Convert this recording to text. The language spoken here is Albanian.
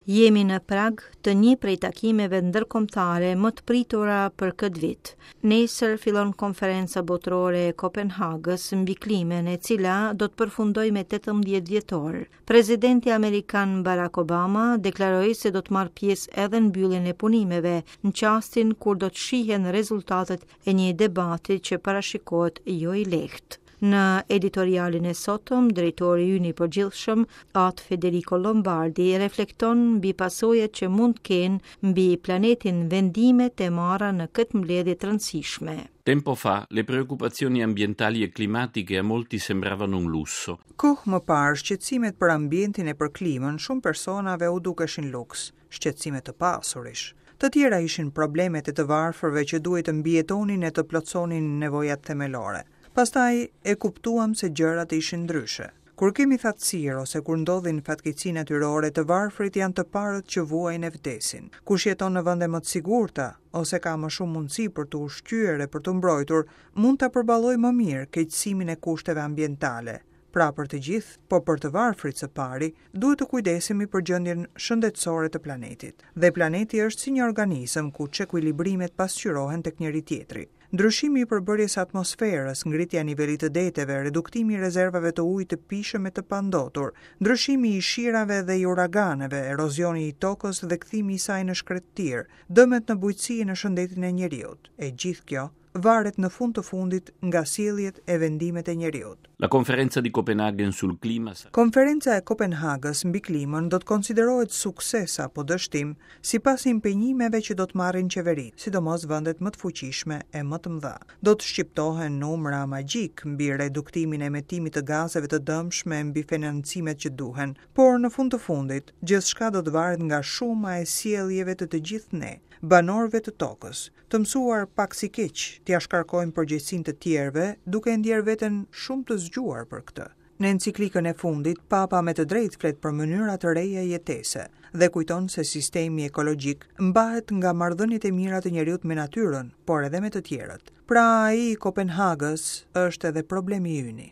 Jemi në prag të një prej takimeve ndërkombëtare më të pritura për këtë vit. Nesër fillon konferenca botërore e Kopenhagës mbi klimën, e cila do të përfundojë me 18 dhjetor. Presidenti amerikan Barack Obama deklaroi se do të marrë pjesë edhe në mbylljen e punimeve, në çastin kur do të shihen rezultatet e një debati që parashikohet jo i lehtë. Në editorialin e sotëm, drejtori ynë i përgjithshëm, At Federico Lombardi, reflekton mbi pasojat që mund të kenë mbi planetin vendimet e marra në këtë mbledhje të rëndësishme. Tempo fa, le preoccupazioni ambientali e climatiche a molti sembravano un lusso. Kohë më parë, shqetësimet për ambientin e për klimën shumë personave u dukeshin luks, shqetësime të pasurish. Të tjera ishin problemet e të varfërve që duhej të mbijetonin e të plotësonin nevojat themelore. Pastaj e kuptuam se gjërat ishin ndryshe. Kur kemi thatësirë ose kur ndodhin fatkeqësi natyrore, të varfrit janë të parët që vuajnë e vdesin. Kush jeton në vende më të sigurta ose ka më shumë mundësi për t'u ushqyer e për t'u mbrojtur, mund ta përballojë më mirë keqësimin e kushteve ambientale. Pra për të gjithë, po për të varfrit së pari, duhet të kujdesemi për gjendjen shëndetësore të planetit. Dhe planeti është si një organizëm ku çekuilibrimet pasqyrohen tek njëri-tjetri. Ndryshimi i përbërjes së atmosferës, ngritja e nivelit të deteve, reduktimi i rezervave të ujit të pijshëm e të pandotur, ndryshimi i shirave dhe i uraganeve, erozioni i tokës dhe kthimi i saj në shkretëtirë, dëmet në bujqësi e në shëndetin e njeriut, e gjithë kjo varet në fund të fundit nga sjelljet e vendimet e njeriut. La conferenza di Copenaghen sul clima sarà. Konferenca e Kopenhagës mbi klimën do të konsiderohet sukses apo dështim sipas impenjimeve që do të marrin qeveritë, sidomos vendet më të fuqishme e më të mëdha. Do të shqiptohen numra magjikë mbi reduktimin e emetimit të gazeve të dëmshme e mbi financimet që duhen, por në fund të fundit, gjithçka do të varet nga shuma e sjelljeve të të gjithë ne, banorëve të tokës, Të mësuar pak si keq t'ia shkarkojmë përgjegjësinë të tjerëve, duke e ndjerë veten shumë të zgjuar për këtë. Në enciklikën e fundit, Papa me të drejtë flet për mënyra të reja jetese dhe kujton se sistemi ekologjik mbahet nga marrëdhëniet e mira të njeriut me natyrën, por edhe me të tjerët. Pra ai i Kopenhagës është edhe problemi yni.